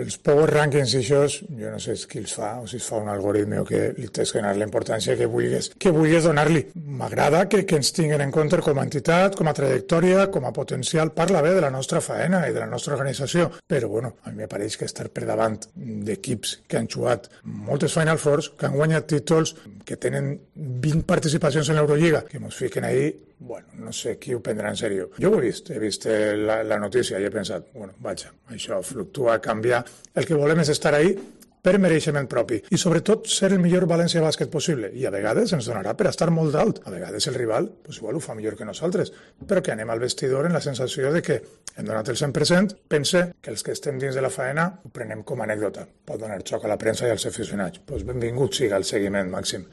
Els power rankings i això, jo no sé qui els fa, o si es fa un algoritme o que li tens que donar la importància que vulguis donar-li. M'agrada que ens tinguin en compte com a entitat, com a trajectòria, com a potencial. Parla bé de la nostra faena i de la nostra organització, però bueno, a mi me pareix que estar per davant d'equips que han jugat moltes Final Fours, que han guanyat títols, que tenen 20 participacions en l'Eurolliga, que mos fiquen ahí, bueno, no sé qui ho prendrà en sèrio. Jo ho he vist la notícia i he pensat, bueno, vaja, això fluctua, canvia. El que volem és estar ahí per mereixement propi i sobretot ser el millor València Bàsquet possible, i a vegades ens donarà per estar molt d'alt, a vegades el rival igual ho fa millor que nosaltres, però que anem al vestidor en la sensació de que hem donat el 100%, pense que els que estem dins de la faena ho prenem com a anècdota, pot donar xoc a la premsa i als aficionats, doncs benvingut siga el seguiment màxim,